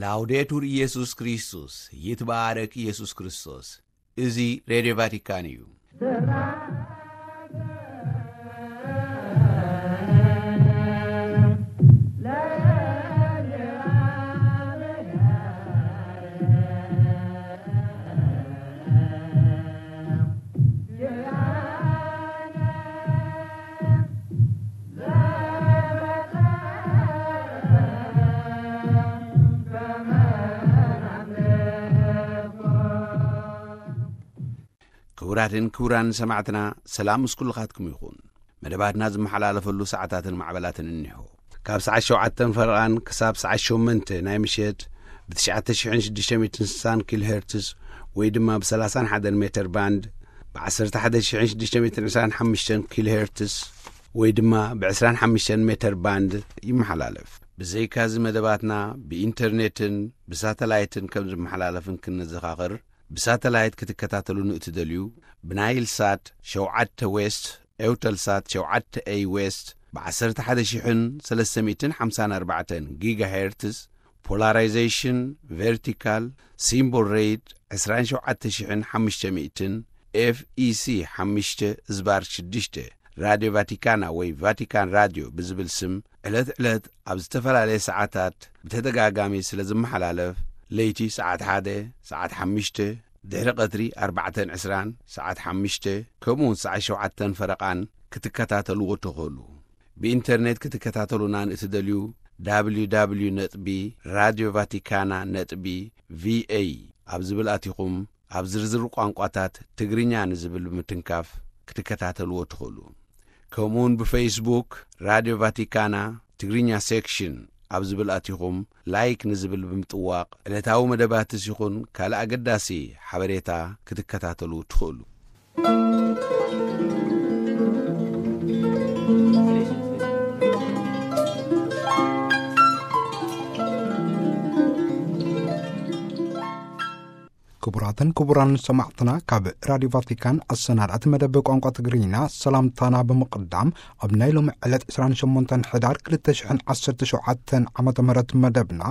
ላውዴቱር ኢየሱስ ክርስቶስ፣ ይትባረክ ኢየሱስ ክርስቶስ። እዚ ሬድዮ ቫቲካን እዩ። ክቡራትን ክቡራን ሰማዕትና፣ ሰላም ምስ ኩልኻትኩም ይኹን። መደባትና ዝመሓላለፈሉ ሰዓታትን ማዕበላትን እኒሆ። ካብ ሰዓት ሸውዓተን ፈረቓን ክሳብ ሰዓት ሸሞንተ ናይ ምሸት ብ ትሽዓተ ሽሕን ሽዱሽተ ሚእትን ስሳን ኪሎ ሄርትስ ወይ ድማ ብ ሰላሳን ሓደን ሜተር ባንድ፣ ብ ዓሰርተ ሓደ ሽሕን ሽዱሽተ ሚእትን ዕስራን ሓሙሽተን ኪሎ ሄርትስ ወይ ድማ ብ ዕስራን ሓሙሽተን ሜተር ባንድ ይመሓላለፍ። ብዘይካዚ መደባትና ብኢንተርኔትን ብሳተላይትን ከም ዝመሓላለፍን ክንዘኻኽር፣ ብሳተላይት ክትከታተሉ ንእትደልዩ፣ ብናይል ሳት ሸውዓተ ዌስት፣ ኤውተል ሳት ሸውዓተ ኤይ ዌስት፣ ብ ዓሰርተ ሓደ ሽሕን ሰለስተ ሚእትን ሓምሳን ኣርባዕተን ጊጋሄርትዝ፣ ፖላራይዜሽን ቨርቲካል፣ ሲምቦል ሬት ዕስራን ሸውዓተ ሽሕን ሓሙሽተ ሚእትን፣ ኤፍ ኢ ሲ ሓሙሽተ ዝባር ሽዱሽተ፣ ራድዮ ቫቲካና ወይ ቫቲካን ራድዮ ብዝብል ስም ዕለት ዕለት ኣብ ዝተፈላለየ ሰዓታት ብተደጋጋሚ ስለ ዝመሓላለፍ፣ ለይቲ ሰዓት ሓደ፣ ሰዓት ሓሙሽተ፣ ድሕሪ ቀትሪ ኣርባዕተን ዕስራን፣ ሰዓት ሓሙሽተ፣ ከምኡ እውን ሰዓት ሸውዓተን ፈረቓን ክትከታተልዎ ትኽእሉ። ብኢንተርኔት ክትከታተሉና ንእትደልዩ፣ ደብሊው ደብሊው ደብሊው ነጥቢ ራድዮ ቫቲካና ነጥቢ ቪ ኤ ኣብ ዝብል ኣቲኹም ኣብ ዝርዝር ቋንቋታት ትግርኛ ንዝብል ብምትንካፍ ክትከታተልዎ ትኽእሉ። ከምኡውን ብፌስቡክ ራድዮ ቫቲካና ትግርኛ ሴክሽን ኣብ ዝብል ኣቲኹም ላይክ ንዝብል ብምጥዋቕ ዕለታዊ መደባትስ ይኹን ካልእ ኣገዳሲ ሓበሬታ ክትከታተሉ ትኽእሉ። ክቡራትን ክቡራን ሰማዕትና፣ ካብ ራድዮ ቫቲካን ኣሰናዳእቲ መደብ ቋንቋ ትግርኛ ሰላምታና ብምቕዳም፣ ኣብ ናይ ሎሚ ዕለት ዕስራን ሸሞንተን ሕዳር ክልተ ሽሕን ዓሰርተ ሸውዓተን ዓመተ ምህረት መደብና፣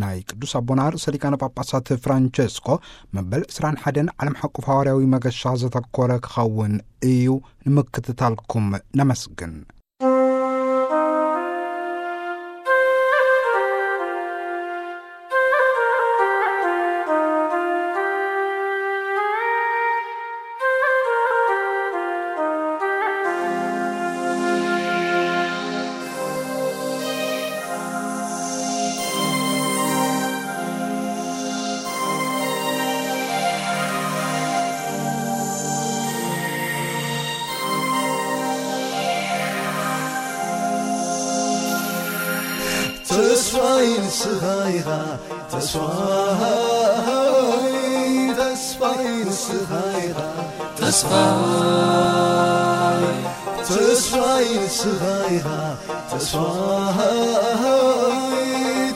ናይ ቅዱስ ኣቦና ርእሰ ሊቃነ ጳጳሳት ፍራንቸስኮ መበል ዕስራን ሓደን ዓለም ሓቆፍ ሃዋርያዊ መገሻ ዘተኮረ ክኸውን እዩ። ንምክትታልኩም ነመስግን። ተስፋይ ንስኻ ኢኻ፣ ተስፋይ፣ ተስፋይ ንስኻ ኢኻ፣ ተስፋይ፣ ተስፋይ ንስኻ ኢኻ፣ ተስፋይ፣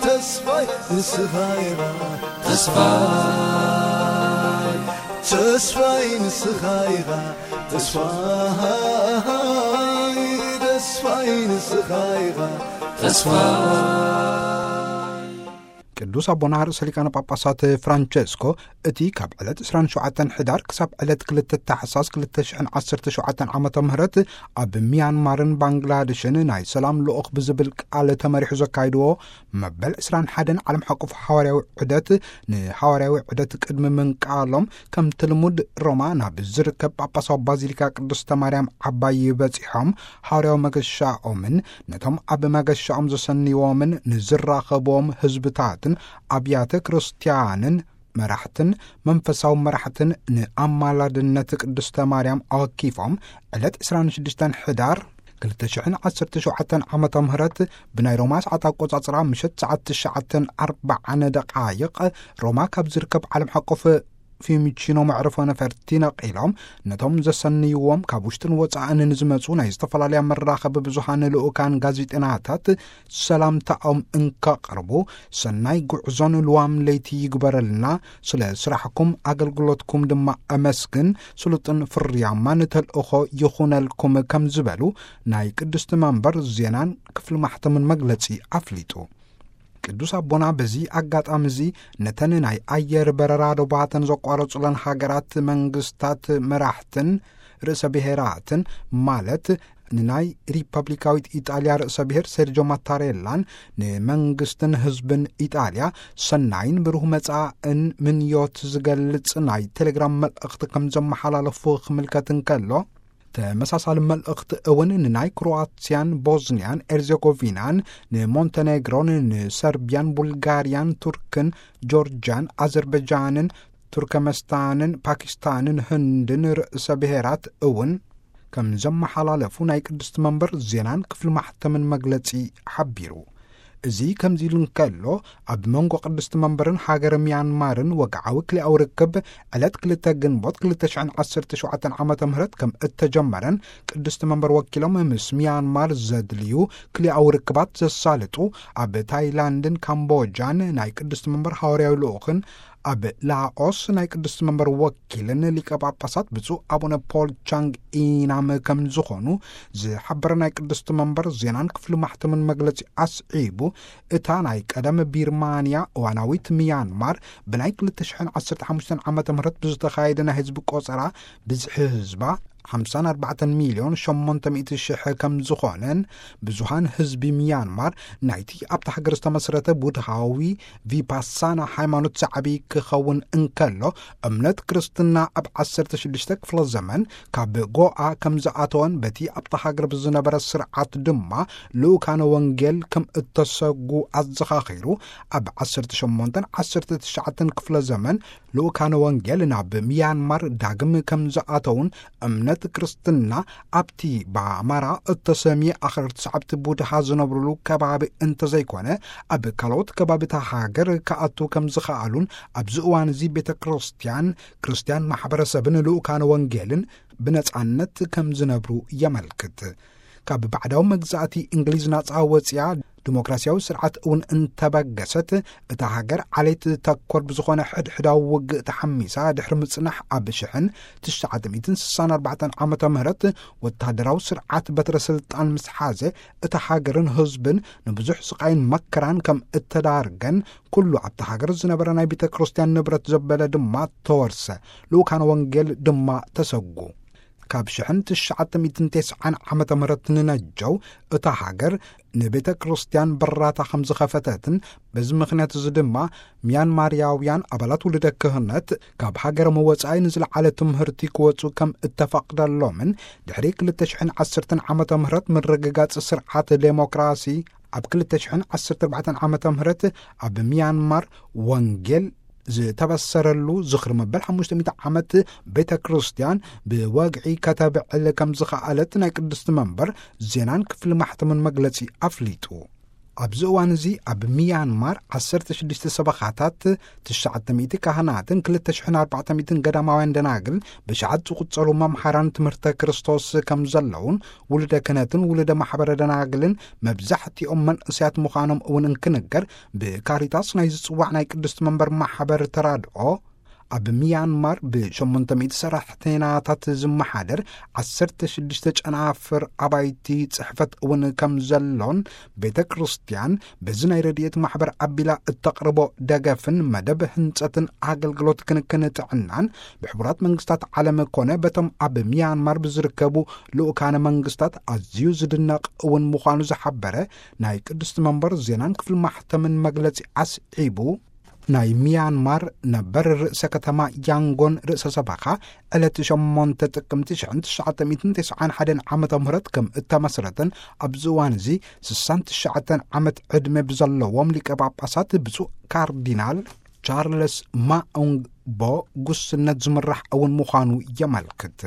ተስፋይ ንስኻ ኢኻ፣ ተስፋይ፣ ተስፋይ ንስኻ ኢኻ፣ ተስፋይ፣ ተስፋይ ንስኻ ኢኻ፣ ተስፋይ። ቅዱስ ኣቦና ርእሰ ሊቃነ ጳጳሳት ፍራንቸስኮ፣ እቲ ካብ ዕለት ዕስራን ሸውዓተን ሕዳር ክሳብ ዕለት ክልተ ታሕሳስ ክልተ ሽሕን ዓሰርተ ሸውዓተን ዓመተ ምህረት ኣብ ሚያንማርን ባንግላደሽን ናይ ሰላም ልኡኽ ብዝብል ቃል ተመሪሑ ዘካይድዎ መበል ዕስራን ሓደን ዓለም ሓቆፍ ሃዋርያዊ ዑደት፣ ንሃዋርያዊ ዑደት ቅድሚ ምንቃሎም፣ ከምቲ ልሙድ ሮማ ናብ ዝርከብ ጳጳሳዊ ባዚሊካ ቅድስተ ማርያም ዓባይ በጺሖም፣ ሃዋርያዊ መገሻኦምን ነቶም ኣብ መገሻኦም ዘሰንይዎምን ንዝራኸብዎም ህዝብታትን ኣብያተ ክርስቲያንን መራሕትን መንፈሳዊ መራሕትን ንኣማላድነት ቅድስተ ማርያም ኣወኪፎም፣ ዕለት ዕስራን ሽዱሽተን ሕዳር ክልተ ሽሕን ዓሰርተ ሸውዓተን ዓመተ ምህረት ብናይ ሮማ ሰዓት ኣቆጻጽራ ምሸት ሰዓት ትሽዓተን ኣርባዓን ደቓይቕ ሮማ ካብ ዝርከብ ዓለም ሓቆፍ ፊዩሚቺኖ መዕርፎ ነፈርቲ ነቒሎም፣ ነቶም ዘሰንይዎም ካብ ውሽጥን ወጻእን ንዝመጹ ናይ ዝተፈላለያ መራኸቢ ብዙሃን ልኡካን ጋዜጠናታት ሰላምታኦም እንከቕርቡ፣ ሰናይ ጉዕዞን ልዋም ለይቲ ይግበረልና፣ ስለ ስራሕኩም ኣገልግሎትኩም ድማ ኣመስግን፣ ስሉጥን ፍርያማን ተልእኾ ይኹነልኩም ከም ዝበሉ ናይ ቅድስቲ መንበር ዜናን ክፍሊ ማሕተምን መግለጺ ኣፍሊጡ። ቅዱስ ኣቦና በዚ ኣጋጣሚ እዚ ነተን ናይ ኣየር በረራ ዶባተን ዘቋረጹለን ሃገራት መንግስታት መራሕትን ርእሰ ብሔራትን፣ ማለት ንናይ ሪፐብሊካዊት ኢጣልያ ርእሰ ብሔር ሴርጆ ማታሬላን ንመንግስትን ህዝብን ኢጣልያ ሰናይን ብሩህ መጻእን ምንዮት ዝገልጽ ናይ ቴሌግራም መልእኽቲ ከም ዘመሓላለፉ ክምልከት እንከሎ፣ ተመሳሳሊ መልእኽቲ እውን ንናይ ክሮኣትያን ቦዝንያን ኤርዜጎቪናን ንሞንተኔግሮን ንሰርቢያን ቡልጋርያን ቱርክን ጆርጅያን ኣዘርበጃንን ቱርከመስታንን ፓኪስታንን ህንድን ርእሰ ብሔራት እውን ከም ዘመሓላለፉ ናይ ቅድስቲ መንበር ዜናን ክፍሊ ማሕተምን መግለጺ ሓቢሩ። እዚ ከምዚ ኢሉ እንከሎ፣ ኣብ መንጎ ቅድስቲ መንበርን ሃገር ሚያንማርን ወግዓዊ ክልኣዊ ርክብ ዕለት ክልተ ግንቦት ክልተ ሽሕን ዓሰርተ ሸውዓተን ዓመተ ምህረት ከም እተጀመረን ቅድስቲ መንበር ወኪሎም ምስ ሚያንማር ዘድልዩ ክልኣዊ ርክባት ዘሳልጡ ኣብ ታይላንድን ካምቦጃን ናይ ቅድስቲ መንበር ሃዋርያዊ ልኡኽን ኣብ ላኦስ ናይ ቅድስቲ መንበር ወኪልን ሊቀ ጳጳሳት ብፁዕ ኣቡነ ፖል ቻንግ ኢናም ከም ዝኾኑ ዝሓበረ ናይ ቅድስቲ መንበር ዜናን ክፍሊ ማሕተምን መግለጺ ኣስዒቡ፣ እታ ናይ ቀደም ቢርማንያ እዋናዊት ሚያንማር ብናይ ክልተ ሽሕን ዓሰርተ ሓሙሽተን ዓመተ ምህረት ብዝተኻየደ ናይ ህዝቢ ቆጸራ ብዝሒ ህዝባ ሓምሳን ኣርባዕተን ሚልዮን ሸሞንተ ሚእቲ ሽሕ ከም ዝኾነን፣ ብዙሃን ህዝቢ ሚያንማር ናይቲ ኣብታ ሃገር ዝተመስረተ ቡድሃዊ ቪፓሳና ሃይማኖት ዝዓቢ ክኸውን እንከሎ፣ እምነት ክርስትና ኣብ ዓሰርተ ሽዱሽተ ክፍለ ዘመን ካብ ጎኣ ከም ዝኣተወን በቲ ኣብታ ሃገር ብዝነበረ ስርዓት ድማ ልኡካነ ወንጌል ከም እተሰጉ ኣዘኻኺሩ፣ ኣብ ዓሰርተ ሸሞንተን ዓሰርተ ትሽዓተን ክፍለ ዘመን ልኡካነ ወንጌል ናብ ሚያንማር ዳግም ከም ዝኣተውን፣ እምነት ክርስትና ኣብቲ ብኣማራ እተሰምየ ኣኽረርቲ ሰዓብቲ ቡድሃ ዝነብሩሉ ከባቢ እንተዘይኮነ፣ ኣብ ካልኦት ከባቢታት ሃገር ክኣቱ ከም ዝኸኣሉን፣ ኣብዚ እዋን እዚ ቤተ ክርስቲያን፣ ክርስቲያን ማሕበረሰብን ልኡካነ ወንጌልን ብነጻነት ከም ዝነብሩ የመልክት። ካብ ባዕዳዊ መግዛእቲ እንግሊዝ ናጻ ወጽያ፣ ዲሞክራሲያዊ ስርዓት እውን እንተበገሰት፣ እታ ሃገር ዓሌት ተኮር ብዝኾነ ሕድሕዳዊ ውግእ ተሓሚሳ ድሕሪ ምጽናሕ፣ ኣብ ሽሕን ትሽዓተ ሚእትን ስሳን ኣርባዕተን ዓመተ ምህረት ወታደራዊ ስርዓት በትረ ስልጣን ምስ ሓዘ፣ እታ ሃገርን ህዝብን ንብዙሕ ስቓይን መከራን ከም እተዳርገን፣ ኩሉ ኣብታ ሃገር ዝነበረ ናይ ቤተ ክርስቲያን ንብረት ዘበለ ድማ ተወርሰ፣ ልኡካነ ወንጌል ድማ ተሰጉ። ካብ ሽሕን ትሽዓተ ሚእትን ተስዓን ዓመተ ምህረት ንነጀው እታ ሃገር ንቤተ ክርስቲያን በራታ ከም ዝኸፈተትን፣ በዚ ምኽንያት እዚ ድማ ሚያንማርያውያን ኣባላት ውልደ ክህነት ካብ ሃገሮም ወጻኢ ንዝለዓለ ትምህርቲ ክወጹ ከም እተፈቕደሎምን፣ ድሕሪ ክልተ ሽሕን ዓሰርተን ዓመተ ምህረት ምርግጋጽ ስርዓት ዴሞክራሲ፣ ኣብ ክልተ ሽሕን ዓሰርተ ኣርባዕተን ዓመተ ምህረት ኣብ ሚያንማር ወንጌል ዝተበሰረሉ ዝኽሪ መበል ሓሙሽተ ሚእቲ ዓመት ቤተ ክርስቲያን ብወግዒ ከተብዕል ከም ዝኸኣለት ናይ ቅድስቲ መንበር ዜናን ክፍሊ ማሕተምን መግለጺ ኣፍሊጡ። ኣብዚ እዋን እዚ ኣብ ሚያንማር ዓሰርተ ሽዱሽተ ሰበኻታት፣ ትሽዓተ ሚእቲ ካህናትን ክልተ ሽሕን ኣርባዕተ ሚእትን ገዳማውያን ደናግል ብሽዓት ዝቑጸሩ መምሃራን ትምህርተ ክርስቶስ ከም ዘለውን፣ ውሉደ ክህነትን ውሉደ ማሕበረ ደናግልን መብዛሕትኦም መንእሰያት ምዃኖም እውን እንክንገር፣ ብካሪታስ ናይ ዝጽዋዕ ናይ ቅድስቲ መንበር ማሕበር ተራድኦ፣ ኣብ ሚያንማር ብሸሞንተ ሚእቲ ሰራሕተናታት ዝመሓደር ዓሰርተ ሽዱሽተ ጨናፍር ኣባይቲ ጽሕፈት እውን ከም ዘሎን፣ ቤተ ክርስቲያን በዚ ናይ ረድኤት ማሕበር ኣቢላ እተቕርቦ ደገፍን መደብ ህንጸትን ኣገልግሎት ክንክን ጥዕናን ብሕቡራት መንግስታት ዓለም ኮነ በቶም ኣብ ሚያንማር ብዝርከቡ ልኡካነ መንግስታት ኣዝዩ ዝድነቕ እውን ምዃኑ ዝሓበረ ናይ ቅድስቲ መንበር ዜናን ክፍሊ ማሕተምን መግለጺ ኣስዒቡ፣ ናይ ሚያንማር ነበር ርእሰ ከተማ ያንጎን ርእሰ ሰበኻ ዕለት ሸሞንተ ጥቅምቲ ሽሕን ትሽዓተ ሚእትን ተስዓን ሓደን ዓመተ ምህረት ከም እተመስረተን፣ ኣብዚ እዋን እዚ ስሳን ትሽዓተን ዓመት ዕድመ ብዘለዎም ሊቀ ጳጳሳት ብፁዕ ካርዲናል ቻርለስ ማኡንግ ቦ ጉስነት ዝምራሕ እውን ምዃኑ የመልክት።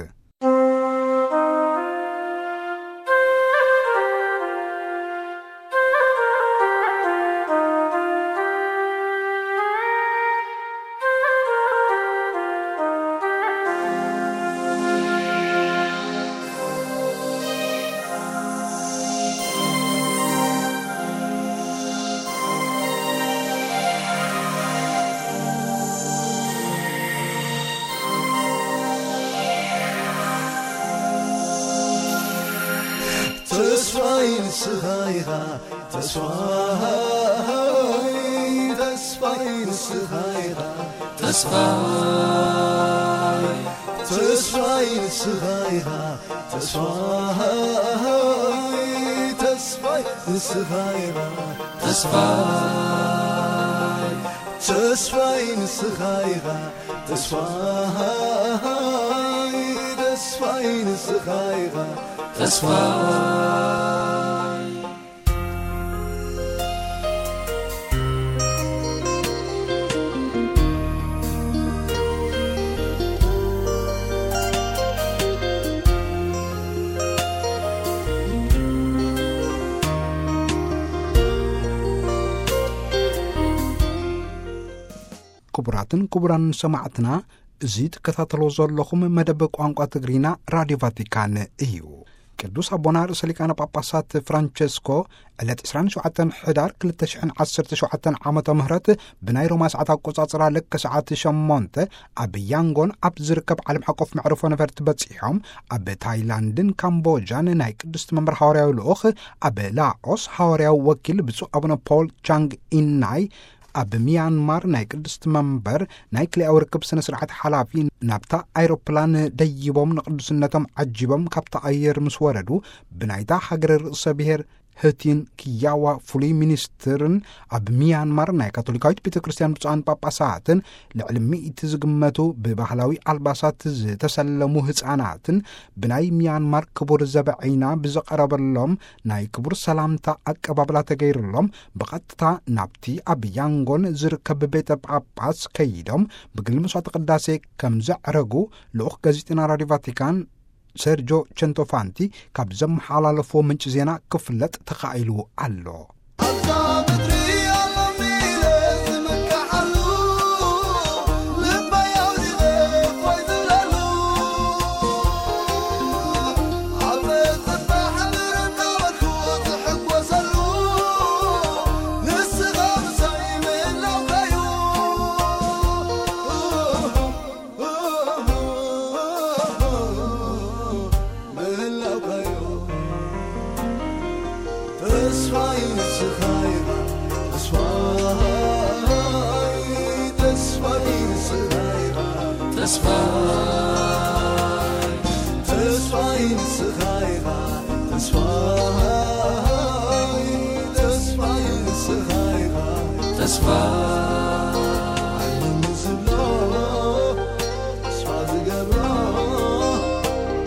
ተስፋይ ንስኻ ኢኻ፣ ተስፋይ ተስፋይ ንስኻ ኢኻ ተስፋይ፣ ተስፋይ ንስኻ ኢኻ ተስፋይ፣ ተስፋይ ንስኻ ኢኻ ተስፋይ፣ ተስፋይ ንስኻ ኢኻ ተስፋይ፣ ተስፋይ ንስኻ ኢኻ ተስፋይ። ክቡራትን ክቡራን ሰማዕትና፣ እዚ ትከታተሎ ዘለኹም መደብ ቋንቋ ትግርኛ ራድዮ ቫቲካን እዩ። ቅዱስ ኣቦና ርእሰ ሊቃነ ጳጳሳት ፍራንቸስኮ ዕለት ዕስራን ሸውዓተን ሕዳር ክልተ ሽሕን ዓሰርተ ሸውዓተን ዓመተ ምህረት ብናይ ሮማ ሰዓት ኣቆጻጽራ ልክ ሰዓት ሸሞንተ ኣብ ያንጎን ኣብ ዝርከብ ዓለም ሓቆፍ መዕርፎ ነፈርቲ በጺሖም፣ ኣብ ታይላንድን ካምቦጃን ናይ ቅድስቲ መንበር ሃዋርያዊ ልኡኽ፣ ኣብ ላኦስ ሃዋርያዊ ወኪል ብፁዕ ኣቡነ ፖል ቻንግ ኢናይ፣ ኣብ ሚያንማር ናይ ቅድስቲ መንበር ናይ ክልኣዊ ርክብ ስነ ስርዓት ሓላፊ ናብታ ኣይሮፕላን ደይቦም ንቅዱስነቶም ዓጂቦም ካብታ ኣየር ምስ ወረዱ፣ ብናይታ ሃገረ ርእሰ ብሔር ህቲን ክያዋ ፍሉይ ሚኒስትርን ኣብ ሚያንማር ናይ ካቶሊካዊት ቤተ ክርስቲያን ብፁዓን ጳጳሳትን ልዕሊ ሚእቲ ዝግመቱ ብባህላዊ ኣልባሳት ዝተሰለሙ ህፃናትን ብናይ ሚያንማር ክቡር ዘበዐይና ብዝቐረበሎም ናይ ክቡር ሰላምታ ኣቀባብላ ተገይሩሎም ብቐጥታ ናብቲ ኣብ ያንጎን ዝርከብ ቤተ ጳጳስ ከይዶም ብግሊ መስዋዕተ ቅዳሴ ከም ዘዕረጉ ልኡኽ ጋዜጠና ራድዮ ቫቲካን ሴርጆ ቸንቶፋንቲ ካብ ዘመሓላለፎ ምንጪ ዜና ክፍለጥ ተኻኢሉ ኣሎ። ኣብዛ ምድሪ ኣሎኒ ኢለ ዝምካሓሉ፣ ልበይ ኣውዲቐ እፎይ ዝብለሉ፣ ኣብ ጸጥታ ሓድር እናበልኩ ዝሕጎሰሉ፣ ንስኻ ምሳይ ምህላውካ'ዩ። ምህላውካ'ዩ። ተስፋይ ንስኻ ኢኻ፣ ተስፋይ፣ ተስፋይ ንስኻ ኢኻ፣ ተስፋይ፣ ተስፋይ ንስኻ ኢኻ፣ ተስፋይ፣ ተስፋይ ንስኻ ኢኻ፣ ተስፋይ። ዓለም ዝብሎ ተስፋ ዝገብሮ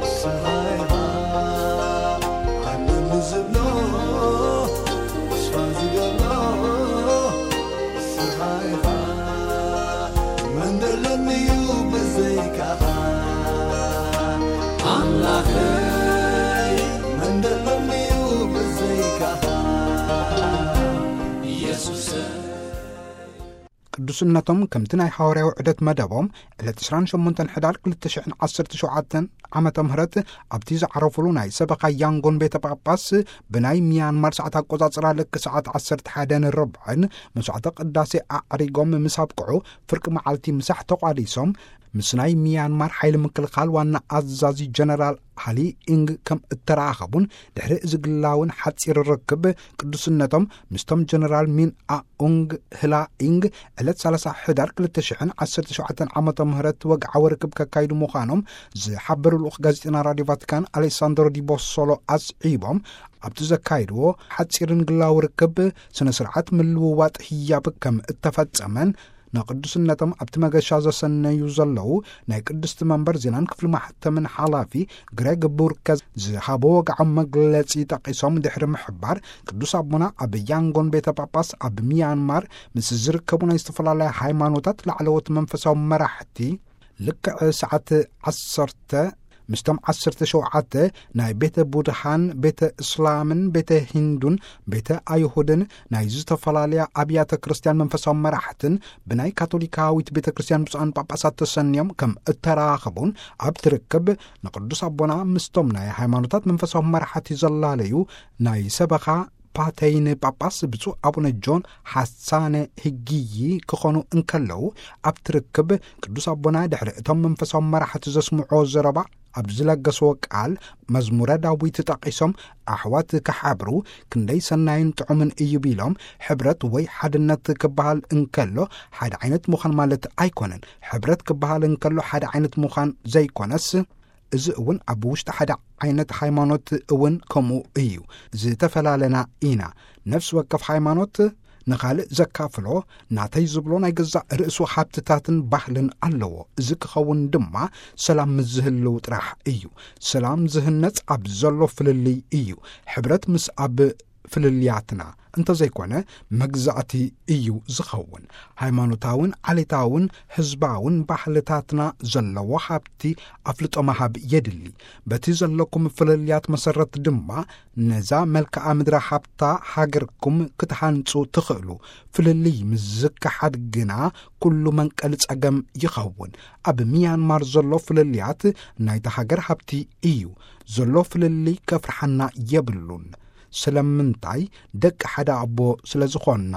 ንስኻ ኢኻ። ዓለም ዝብሎ ተስፋ ዝገብሮ ንስኻ ኢኻ። መን ደሎኒ እዩ ብዘይካኻ? ኣምላኸይ፣ መን ደሎኒ እዩ ብዘይካኻ? ኢየሱሰይ። ቅዱስነቶም ከምቲ ናይ ሃዋርያዊ ዑደት መደቦም ዕለት ዕስራን ሸሞንተን ሕዳር ክልተ ሽሕን ዓሰርተ ሸውዓተን ዓመተ ምህረት ኣብቲ ዝዓረፉሉ ናይ ሰበኻ ያንጎን ቤተ ጳጳስ ብናይ ሚያንማር ሰዓት ኣቆጻጽራ ልክ ሰዓት ዓሰርተ ሓደን ርብዕን መስዋዕተ ቅዳሴ ኣዕሪጎም ምስ ኣብቅዑ ፍርቂ መዓልቲ ምሳሕ ተቋዲሶም ምስ ናይ ሚያንማር ሓይሊ ምክልኻል ዋና ኣዛዚ ጀነራል ሃሊ ኢንግ ከም እተራኸቡን ድሕሪ እዚ ግላውን ሓጺር ርክብ ቅዱስነቶም ምስቶም ጀነራል ሚን ኡንግ ህላ ኢንግ ዕለት ሰላሳ ሕዳር ክልተ ሽሕን ዓሰርተ ሸውዓተን ዓመተ ምህረት ወግዓዊ ርክብ ከካይዱ ምዃኖም ዝሓበሩ ልኡኽ ጋዜጠና ራድዮ ቫቲካን ኣሌሳንድሮ ዲ ቦሶሎ ኣስዒቦም ኣብቲ ዘካይድዎ ሓጺርን ግላዊ ርክብ ስነ ስርዓት ምልውዋጥ ህያብ ከም እተፈጸመን ንቅዱስነቶም ኣብቲ መገሻ ዘሰነዩ ዘለዉ ናይ ቅድስቲ መንበር ዜናን ክፍሊ ማሕተምን ሓላፊ ግሬግ ቡርከ ዝሃቦ ወግዓዊ መግለጺ ጠቒሶም ድሕሪ ምሕባር ቅዱስ ኣቦና ኣብ ያንጎን ቤተ ጳጳስ ኣብ ሚያንማር ምስ ዝርከቡ ናይ ዝተፈላለያ ሃይማኖታት ላዕለዎት መንፈሳዊ መራሕቲ ልክዕ ሰዓት ዓሰርተ ምስቶም ዓሰርተ ሸውዓተ ናይ ቤተ ቡድሃን ቤተ እስላምን ቤተ ሂንዱን ቤተ ኣይሁድን ናይ ዝተፈላለያ ኣብያተ ክርስቲያን መንፈሳዊ መራሕትን ብናይ ካቶሊካዊት ቤተ ክርስቲያን ብፁዓን ጳጳሳት ተሰንዮም ከም እተራኸቡን ኣብቲ ርክብ ንቅዱስ ኣቦና ምስቶም ናይ ሃይማኖታት መንፈሳዊ መራሕቲ ዘላለዩ ናይ ሰበኻ ፓተይን ጳጳስ ብፁዕ ኣቡነ ጆን ሓሳነ ህጊዪ ክኾኑ እንከለዉ ኣብቲ ርክብ ቅዱስ ኣቦና ድሕሪ እቶም መንፈሳዊ መራሕቲ ዘስምዖ ዘረባ ኣብ ዝለገስዎ ቃል፣ መዝሙረ ዳዊት ጠቒሶም፣ ኣሕዋት ክሓብሩ ክንደይ ሰናይን ጥዑምን እዩ ቢሎም፣ ሕብረት ወይ ሓድነት ክበሃል እንከሎ ሓደ ዓይነት ምዃን ማለት ኣይኮነን። ሕብረት ክበሃል እንከሎ ሓደ ዓይነት ምዃን ዘይኮነስ፣ እዚ እውን ኣብ ውሽጢ ሓደ ዓይነት ሃይማኖት እውን ከምኡ እዩ። ዝተፈላለና ኢና። ነፍሲ ወከፍ ሃይማኖት ንኻልእ ዘካፍሎ፣ ናተይ ዝብሎ ናይ ገዛእ ርእሱ ሃብትታትን ባህልን ኣለዎ። እዚ ክኸውን ድማ ሰላም ምስ ዝህልው ጥራሕ እዩ። ሰላም ዝህነጽ ኣብ ዘሎ ፍልልይ እዩ። ሕብረት ምስ ኣብ ፍልልያትና እንተዘይኮነ መግዛእቲ እዩ ዝኸውን። ሃይማኖታውን ዓሌታውን ህዝባውን ባህልታትና ዘለዎ ሃብቲ ኣፍልጦ ምሃብ የድሊ። በቲ ዘለኩም ፍልልያት መሰረት ድማ ነዛ መልክዓ ምድሪ ሃብታ ሃገርኩም ክትሃንጹ ትኽእሉ። ፍልልይ ምስ ዝከሓድ ግና ኩሉ መንቀሊ ጸገም ይኸውን። ኣብ ሚያንማር ዘሎ ፍልልያት ናይታ ሃገር ሃብቲ እዩ። ዘሎ ፍልልይ ከፍርሓና የብሉን። ስለምንታይ? ደቂ ሓደ ኣቦ ስለ ዝኾንና።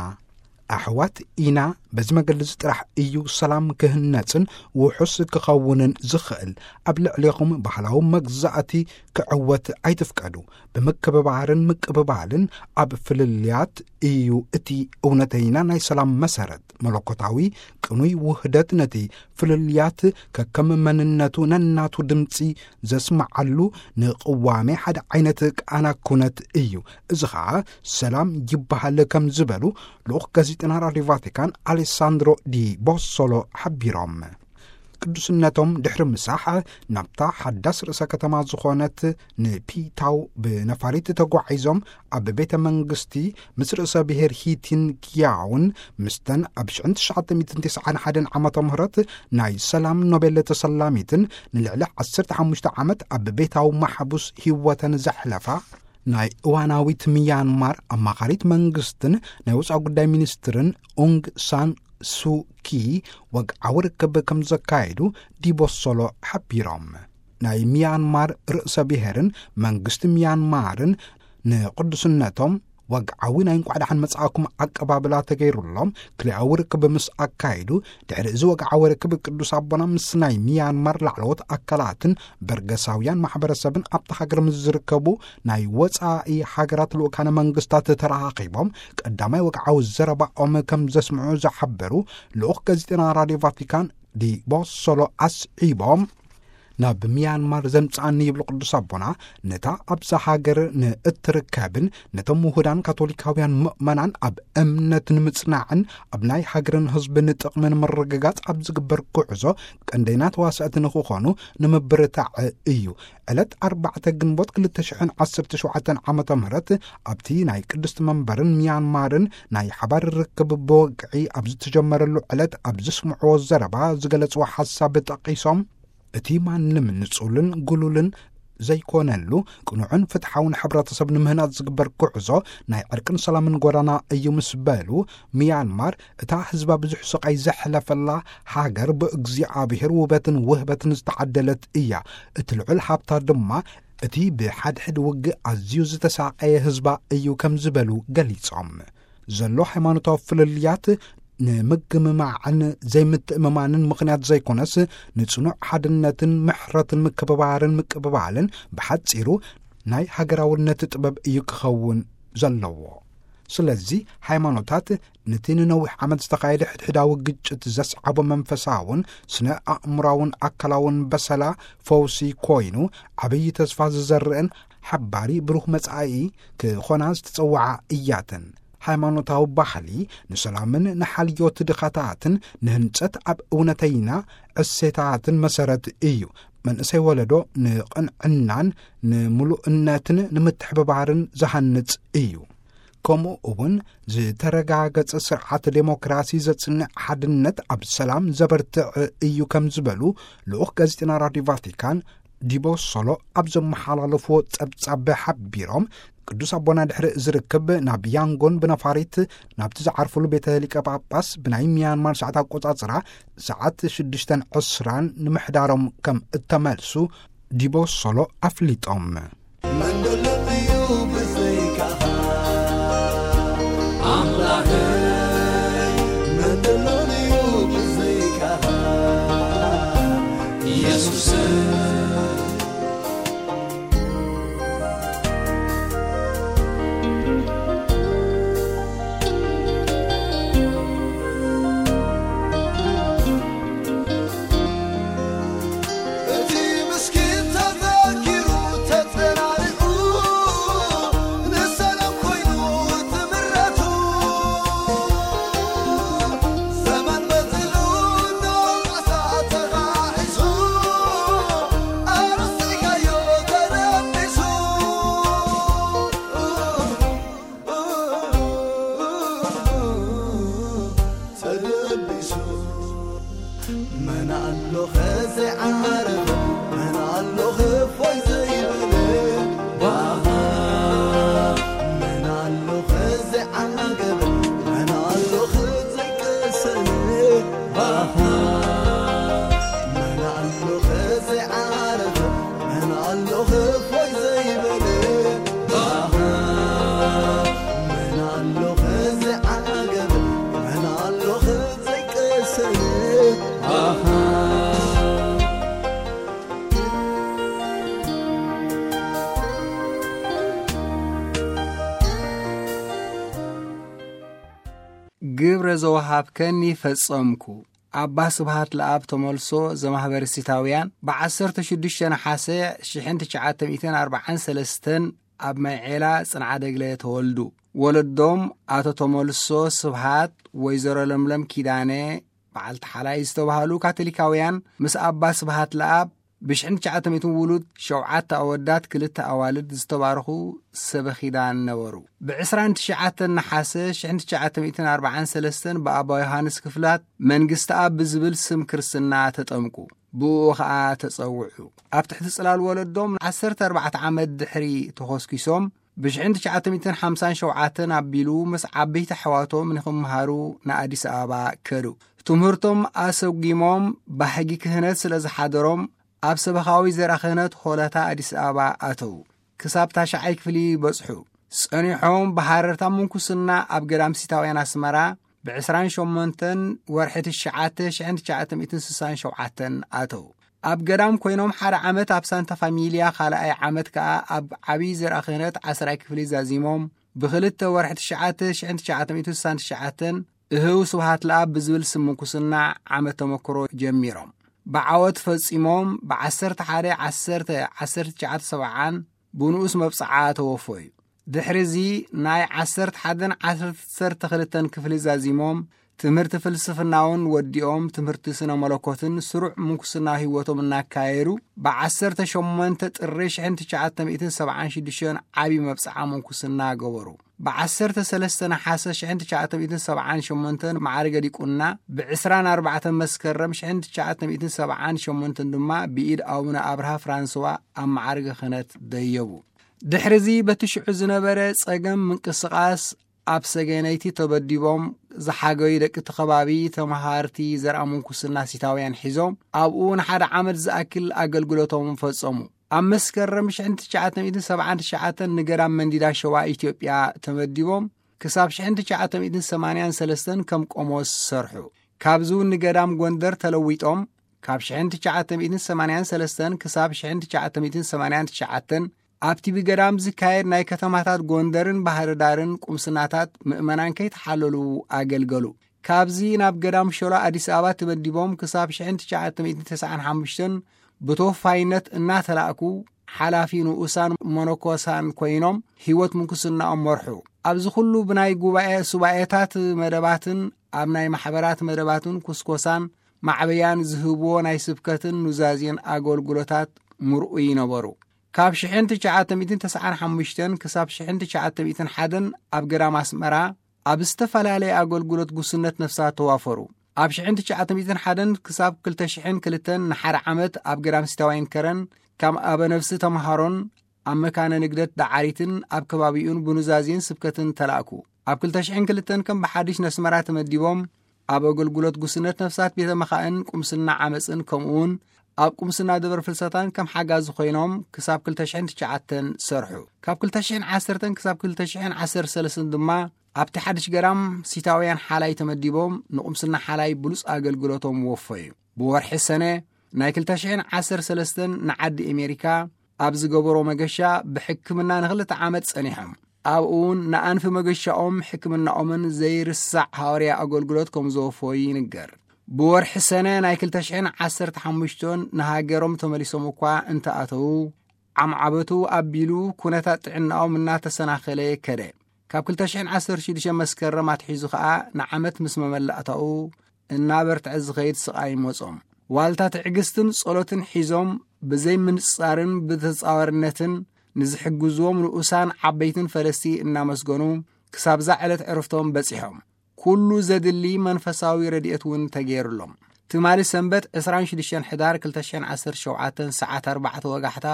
ኣሕዋት ኢና። በዚ መገዲ እዚ ጥራሕ እዩ ሰላም ክህነጽን ውሑስ ክኸውንን ዝኽእል። ኣብ ልዕሌኹም ባህላዊ መግዛእቲ ክዕወት ኣይትፍቀዱ። ብምክብባርን ምቅብባልን ኣብ ፍልልያት እዩ እቲ እውነተይና ናይ ሰላም መሰረት። መለኮታዊ ቅኑይ ውህደት ነቲ ፍልልያት ከከም መንነቱ ነናቱ ድምጺ ዘስምዓሉ ንቅዋሜ ሓደ ዓይነት ቃና ኩነት እዩ። እዚ ኸኣ ሰላም ይበሃል ከም ዝበሉ ልኡኽ ጋዜጠና ራድዮ ቫቲካን ኣሌሳንድሮ ዲ ቦሶሎ ሓቢሮም። ቅዱስነቶም ድሕሪ ምሳሕ ናብታ ሓዳስ ርእሰ ከተማ ዝኾነት ንፒታው ብነፋሪት ተጓዒዞም ኣብ ቤተ መንግስቲ ምስ ርእሰ ብሔር ሂቲን ኪያውን ምስተን ኣብ ሽሕን ትሽዓተ ሚእትን ተስዓን ሓደን ዓመተ ምህረት ናይ ሰላም ኖቤል ተሰላሚትን ንልዕሊ ዓሰርተ ሓሙሽተ ዓመት ኣብ ቤታዊ ማሕቡስ ህይወተን ዘሕለፋ ናይ እዋናዊት ሚያንማር ኣማኻሪት መንግስትን ናይ ወፃኢ ጉዳይ ሚኒስትርን ኡንግ ሳን ሱኪ ወግዓዊ ርክብ ከም ዘካየዱ ዲቦሶሎ ሓቢሮም። ናይ ሚያንማር ርእሰ ብሔርን መንግስቲ ሚያንማርን ንቅዱስነቶም ወግዓዊ ናይ እንቋዕ ደሓን መጻእኩም ኣቀባብላ ተገይሩሎም ክልኣዊ ርክብ ምስ ኣካይዱ፣ ድሕሪ እዚ ወግዓዊ ርክብ ቅዱስ ኣቦና ምስ ናይ ሚያንማር ላዕለዎት ኣካላትን በርገሳውያን ማሕበረሰብን ኣብቲ ሃገር ምስ ዝርከቡ ናይ ወጻኢ ሃገራት ልኡካነ መንግስታት ተራኻኺቦም ቀዳማይ ወግዓዊ ዘረባኦም ከም ዘስምዑ ዝሓበሩ ልኡኽ ጋዜጠና ራድዮ ቫቲካን ዲ ቦሶሎ ኣስዒቦም፣ ናብ ሚያንማር ዘምጽኣኒ ይብሉ ቅዱስ ኣቦና፣ ነታ ኣብዛ ሃገር ንእትርከብን ነቶም ውሁዳን ካቶሊካውያን ምእመናን ኣብ እምነት ንምጽናዕን ኣብ ናይ ሃገርን ህዝብን ጥቕሚ ንምርግጋጽ ኣብ ዝግበር ጉዕዞ ቀንደይና ተዋሳእቲ ንኽኾኑ ንምብርታዕ እዩ። ዕለት ኣርባዕተ ግንቦት ክልተ ሽሕን ዓሰርተ ሸውዓተን ዓመተ ምህረት ኣብቲ ናይ ቅድስቲ መንበርን ሚያንማርን ናይ ሓባር ርክብ ብወግዒ ኣብ ዝተጀመረሉ ዕለት ኣብ ዘስምዕዎ ዘረባ ዝገለጽዎ ሓሳብ ጠቒሶም፣ እቲ ማንም ንጹልን ግሉልን ዘይኮነሉ ቅኑዕን ፍትሓውን ሕብረተሰብ ንምህናጽ ዝግበር ጉዕዞ ናይ ዕርቅን ሰላምን ጎዳና እዩ ምስ በሉ፣ ሚያንማር እታ ህዝባ ብዙሕ ስቓይ ዘሕለፈላ ሃገር ብእግዚኣብሔር ውበትን ውህበትን ዝተዓደለት እያ። እቲ ልዑል ሃብታ ድማ እቲ ብሓድሕድ ውግእ ኣዝዩ ዝተሳቐየ ህዝባ እዩ ከም ዝበሉ ገሊጾም። ዘሎ ሃይማኖታዊ ፍልልያት ንምግምማዕን ዘይምትእምማንን ምኽንያት ዘይኮነስ፣ ንጽኑዕ ሓድነትን ምሕረትን ምክብባርን ምቅብባልን፣ ብሓጺሩ ናይ ሃገራውነት ጥበብ እዩ ክኸውን ዘለዎ። ስለዚ ሃይማኖታት ነቲ ንነዊሕ ዓመት ዝተኻየደ ሕድሕዳዊ ግጭት ዘስዓቦ መንፈሳውን ስነ ኣእምራውን ኣካላውን በሰላ ፈውሲ ኮይኑ፣ ዓብዪ ተስፋ ዝዘርእን ሓባሪ ብሩህ መጻኢ ክኾና ዝተጸውዓ እያተን። ሃይማኖታዊ ባህሊ ንሰላምን ንሓልዮት ድኻታትን ንህንጸት ኣብ እውነተይና እሴታትን መሰረት እዩ። መንእሰይ ወለዶ ንቕንዕናን ንምሉእነትን ንምትሕብባርን ዝሃንጽ እዩ። ከምኡ እውን ዝተረጋገጸ ስርዓት ዴሞክራሲ ዘጽንዕ ሓድነት ኣብ ሰላም ዘበርትዕ እዩ ከም ዝበሉ ልኡኽ ጋዜጠና ራድዮ ቫቲካን ዲቦሶሎ ኣብ ዘመሓላለፍዎ ጸብጻብ ሓቢሮም፣ ቅዱስ ኣቦና ድሕሪ ዝርክብ ናብ ያንጎን ብነፋሪት ናብቲ ዝዓርፍሉ ቤተ ሊቀ ጳጳስ ብናይ ሚያንማር ሰዓት ኣቆጻጽራ ሰዓት ሽዱሽተን ዕስራን ንምሕዳሮም ከም እተመልሱ ዲቦሶሎ ኣፍሊጦም። መን ደሎ እዩ ብዘይካኻ ኣምላኸይ፣ መን ደሎ እዩ ብዘይካኻ ኢየሱሰይ። መን ኣሎ ከዘይዓረፈ፣ መን ኣሎ ክፎይ ዘይበለ፣ ባኻ። መን ኣሎ ከዘይዓገበ፣ መን ኣሎ ከዘይቀሰነ፣ ባኻ። መን ኣሎ ከዘይዓረፈ፣ መን ኣሎ ክፎይ ዘይበለ፣ ባኻ። መን ኣሎ ከዘይዓገበ፣ መን ኣሎ ከዘይቀሰነ፣ ባኻ። ግብረ ዘወሃብከኒ ፈጸምኩ። ኣባ ስብሃት ለኣብ ተመልሶ ዘማህበረ ሲታውያን ብ15 ነሓሰ ሽሕን ትሽዓተ ሚእትን ኣርባዓን ሰለስተን ኣብ ማይዔላ ጽንዓ ደግለ ተወልዱ። ወለዶም ኣቶ ተመልሶ ስብሃት፣ ወይዘሮ ለምለም ኪዳነ፣ በዓልቲ ሓላይ ዝተባህሉ ካቶሊካውያን ምስ ኣባ ስብሃት ለኣብ ብሽሕን ትሽዓተ ሚእትን ውሉድ፣ ሸውዓተ ኣወዳት፣ ክልተ ኣዋልድ ዝተባረኹ ሰበ ኪዳን ነበሩ። ብ29 ነሓሰ ሽሕን ትሽዓተ ሚእትን ኣርባዓን ሰለስተን ብኣባ ዮሃንስ ክፍላት መንግስቲ ኣብ ብዝብል ስም ክርስትና ተጠምቁ። ብኡ ኸኣ ተጸውዑ። ኣብ ትሕቲ ጽላል ወለዶም ዓሰርተ ኣርባዕተ ዓመት ድሕሪ ተኾስኪሶም፣ ብ1957 ኣቢሉ ምስ ዓበይቲ ኣሕዋቶም ንኽመሃሩ ንኣዲስ ኣበባ ከዱ። ትምህርቶም ኣሰጒሞም፣ ባህጊ ክህነት ስለ ዝሓደሮም፣ ኣብ ሰበኻዊ ዘርኣ ክህነት ሆለታ ኣዲስ ኣበባ ኣተዉ። ክሳብ ታሽዓይ ክፍሊ በጽሑ። ጸኒሖም ብሃረርታ ምንኩስና ኣብ ገዳም ሲታውያን ኣስመራ ብ28 ወርሒ ትሽዓተ ሽሕን ትሽዓተ ሚእትን ስሳን ሸውዓተን ኣተዉ። ኣብ ገዳም ኮይኖም ሓደ ዓመት ኣብ ሳንታ ፋሚልያ፣ ካልኣይ ዓመት ከኣ ኣብ ዓብዪ ዘርኣ ክህነት ዓስራይ ክፍሊ ዛዚሞም፣ ብክልተ ወርሒ ትሽዓተ ሽሕን ትሽዓተ ሚእትን ስሳን ትሽዓተን እህው ስብሃት ለኣብ ብዝብል ስም ምንኩስና ዓመት ተመክሮ ጀሚሮም። ብዓወት ፈጺሞም ብ11/10/1970 ብንኡስ መብጽዓ ተወፈዩ። ድሕሪዚ ናይ ዓሰርተ ሓደን ዓሰርተ ክልተን ክፍሊ ዛዚሞም፣ ትምህርቲ ፍልስፍናውን ወዲኦም፣ ትምህርቲ ስነ መለኮትን ስሩዕ ምንኩስና ህይወቶም እናካየዱ፣ ብ18 ጥሪ ሽሕን ትሽዓተ ሚእትን ሰብዓን ሽዱሽተን ዓቢ መብጽዓ ምንኩስና ገበሩ። ብ13 ነሓሰ ሽሕን ትሽዓተ ሚእትን ሰብዓን ሸሞንተን ማዕርገ ዲቁና፣ ብ ዕስራን ኣርባዕተን መስከረም ሽሕን ትሽዓተ ሚእትን ሰብዓን ሸሞንተን ድማ ብኢድ ኣቡነ ኣብርሃ ፍራንስዋ ኣብ ማዕርገ ክህነት ደየቡ። ድሕሪዚ በቲ ሽዑ ዝነበረ ጸገም ምንቅስቓስ ኣብ ሰገነይቲ ተበዲቦም ዝሓገዩ ደቂ እቲ ከባቢ ተመሃርቲ ዘርኣ ምንኩስና ሲታውያን ሒዞም ኣብኡ ንሓደ ዓመት ዝኣክል ኣገልግሎቶም ፈጸሙ። ኣብ መስከረም ሽሕን ትሽዓተ ሚእትን ሰብዓን ትሽዓተን ንገዳም መንዲዳ ሸዋ ኢትዮጵያ ተመዲቦም ክሳብ ሽሕን ትሽዓተ ሚእትን ሰማንያን ሰለስተን ከም ቆሞስ ሰርሑ። ካብዚ እውን ንገዳም ጎንደር ተለዊጦም ካብ ሽሕን ትሽዓተ ሚእትን ሰማንያን ሰለስተን ክሳብ ሽሕን ትሽዓተ ሚእትን ሰማንያን ትሽዓተን ኣብቲ ብገዳም ዝካየድ ናይ ከተማታት ጎንደርን ባህር ዳርን ቁምስናታት ምእመናን ከይተሓለሉ ኣገልገሉ። ካብዚ ናብ ገዳም ሾላ ኣዲስ ኣበባ ተመዲቦም ክሳብ ሽሕን ትሽዓተ ሚእትን ተስዓን ሓሙሽተን ብተወፋይነት እናተላእኩ ሓላፊ ንኡሳን መነኮሳን ኮይኖም ህይወት ምንኩስናኦም መርሑ። ኣብዚ ኩሉ ብናይ ጉባኤ ሱባኤታት መደባትን ኣብ ናይ ማሕበራት መደባትን ኩስኮሳን ማዕበያን ዝህብዎ ናይ ስብከትን ኑዛዜን ኣገልግሎታት ምርኡይ ነበሩ። ካብ ሽሕን ትሽዓተ ሚእትን ተስዓን ሓሙሽተን ክሳብ ሽሕን ትሽዓተ ሚእትን ሓደን ኣብ ገዳም ኣስመራ ኣብ ዝተፈላለየ ኣገልግሎት ጉስነት ነፍሳት ተዋፈሩ። ኣብ ሽሕን ትሽዓተ ሚእትን ሓደን ክሳብ ክልተ ሽሕን ክልተን ንሓደ ዓመት ኣብ ገዳም ሲታውያን ከረን ከም ኣበ ነፍሲ ተምሃሮን ኣብ መካነ ንግደት ዳዓሪትን ኣብ ከባቢኡን ብኑዛዜን ስብከትን ተላእኩ። ኣብ ክልተ ሽሕን ክልተን ከም ብሓድሽ ነስመራ ተመዲቦም ኣብ ኣገልግሎት ጉስነት ነፍሳት ቤተ መኻእን ቁምስና ዓመፅን ከምኡውን ኣብ ቁምስና ደብረ ፍልሰታን ከም ሓጋዚ ኮይኖም ክሳብ ክልተ ሽሕን ትሽዓተን ሰርሑ። ካብ ክልተ ሽሕን ዓሰርተን ክሳብ ክልተ ሽሕን ዓሰርተ ሰለስተን ድማ ኣብቲ ሓድሽ ገዳም ሲታውያን ሓላይ ተመዲቦም ንቁምስና ሓላይ ብሉፅ ኣገልግሎቶም ወፈዩ። ብወርሒ ሰነ ናይ ክልተ ሽሕን ዓሰርተ ሰለስተን ንዓዲ ኣሜሪካ ኣብ ዝገበሮ መገሻ ብሕክምና ንክልተ ዓመት ጸኒሖም። ኣብኡ እውን ንኣንፊ መገሻኦም ሕክምናኦምን ዘይርሳዕ ሃዋርያ ኣገልግሎት ከም ዘወፈዩ ይንገር። ብወርሒ ሰነ ናይ ክልተ ሽሕን ዓሰርተ ሓሙሽተን ንሃገሮም ተመሊሶም እኳ እንተኣተዉ ዓምዓበቱ ኣቢሉ ኩነታት ጥዕናኦም እናተሰናኸለ ከደ። ካብ ክልተ ሽሕን ዓሰርተ ሽዱሽተ መስከረም ኣትሒዙ ኸኣ ንዓመት ምስ መመላእታኡ እናበርትዐ ዝኸይድ ስቓይ መጾም። ዋልታ ትዕግስትን ጸሎትን ሒዞም ብዘይ ምንጻርን ብተጻዋርነትን ንዝሕግዝዎም ንኡሳን ዓበይትን ፈለስቲ እናመስገኑ ክሳብዛ ዕለት ዕረፍቶም በጺሖም። ኩሉ ዘድሊ መንፈሳዊ ረድኤት እውን ተገይሩሎም። ትማሊ ሰንበት ዕስራን ሽዱሽተን ሕዳር ክልተ ሽሕን ዓሰርተ ሸውዓተን ሰዓት ኣርባዕተ ወጋሕታ፣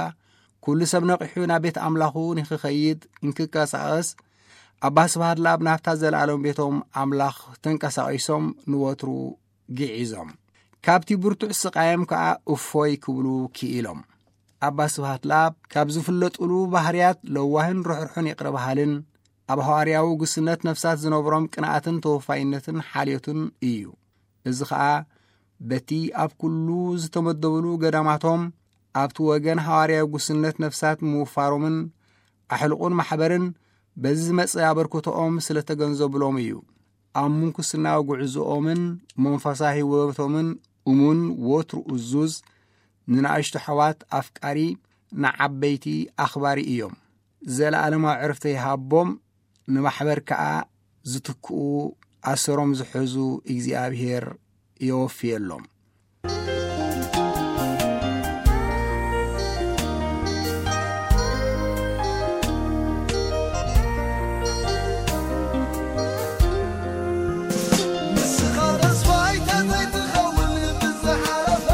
ኩሉ ሰብ ነቒሑ ናብ ቤት ኣምላኹ ንክኸይድ እንክቀሳቐስ፣ ኣባ ስብሃት ለኣብ ናብታ ዘለኣለም ቤቶም ኣምላኽ ተንቀሳቒሶም ንወትሩ ግዒዞም። ካብቲ ብርቱዕ ስቓዮም ከኣ እፎይ ክብሉ ክኢሎም። ኣባ ስብሃት ለኣብ ካብ ዝፍለጡሉ ባህርያት ለዋህን ርሕርሑን ይቕረ በሃልን፣ ኣብ ሃዋርያዊ ጉስነት ነፍሳት ዝነብሮም ቅንኣትን ተወፋይነትን ሓልዮትን እዩ። እዚ ኸኣ በቲ ኣብ ኩሉ ዝተመደብሉ ገዳማቶም ኣብቲ ወገን ሃዋርያዊ ጉስነት ነፍሳት ምውፋሮምን ኣሕልቑን ማሕበርን በዚ ዝመጸ ኣበርክቶኦም ስለ ተገንዘብሎም እዩ። ኣብ ምንኩስናዊ ጉዕዞኦምን መንፈሳዊ ህይወቶምን እሙን ወትሩ እዙዝ፣ ንንኣሽቱ ኣሕዋት ኣፍቃሪ፣ ንዓበይቲ ኣኽባሪ እዮም። ዘለኣለማዊ ዕረፍቲ ይሃቦም፣ ንማሕበር ከኣ ዝትክኡ ኣሰሮም ዝሕዙ እግዚኣብሔር የወፍየሎም። ንስኻ ተስፋይ ተዘይትኸውን ብዝሓለፈ፣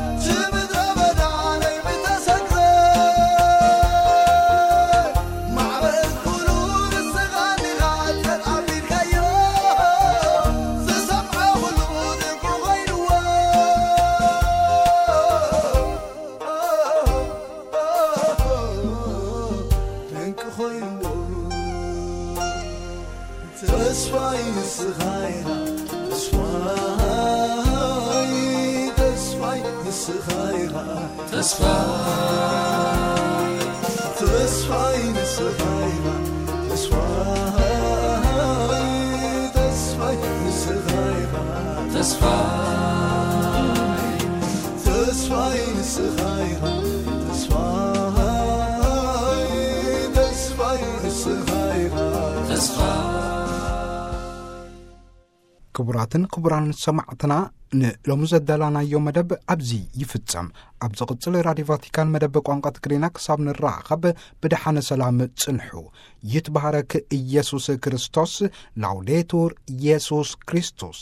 እቲ ምድረ በዳ ናይ ምተሰግረ፣ ማዕበል ኩሉ ንስኻ ዲኻ ተጣቢልካዮ፣ ዝሰምዖ ኩሉ ድንቁ ኮይንዎ። ድንቂ ኮይንዎ። ተስፋይ ንስኻ ኢኻ፣ ተስፋይ፣ ተስፋይ ንስኻ ኢኻ፣ ተስፋይ፣ ተስፋይ ንስኻ ኢኻ፣ ተስፋይ፣ ተስፋይ ንስኻ ኢኻ፣ ተስፋይ፣ ተስፋይ ንስኻ ኢኻ፣ ተስፋይ፣ ተስፋይ ንስኻ ኢኻ፣ ተስፋይ። ክቡራትን ክቡራን ሰማዕትና፣ ንሎሚ ዘዳላናዮ መደብ ኣብዚ ይፍጸም። ኣብ ዝቕጽል ራድዮ ቫቲካን መደብ ቋንቋ ትግርኛ ክሳብ ንራኸብ ብደሓነ ሰላም ጽንሑ። ይትባረክ ኢየሱስ ክርስቶስ። ላውዴቱር ኢየሱስ ክርስቶስ።